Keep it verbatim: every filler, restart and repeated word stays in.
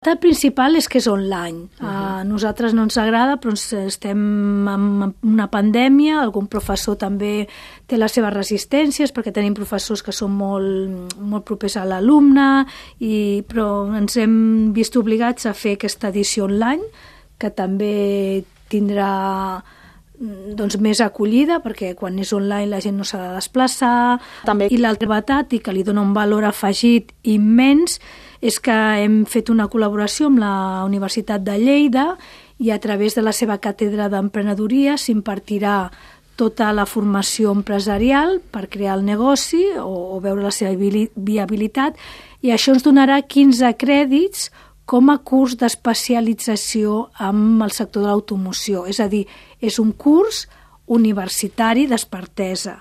El principal és que és online. Uh-huh. A nosaltres no ens agrada, però estem en una pandèmia, algun professor també té les seves resistències, perquè tenim professors que són molt, molt propers a l'alumne, i, però ens hem vist obligats a fer aquesta edició online, que també tindrà doncs, més acollida, perquè quan és online la gent no s'ha de desplaçar. També. I l'altre novetat, i que li dona un valor afegit immens, és que hem fet una col·laboració amb la Universitat de Lleida i a través de la seva càtedra d'emprenedoria s'impartirà tota la formació empresarial per crear el negoci o, o veure la seva viabilitat, i això ens donarà quinze crèdits com a curs d'especialització amb el sector de l'automoció. És a dir, és un curs universitari d'expertesa.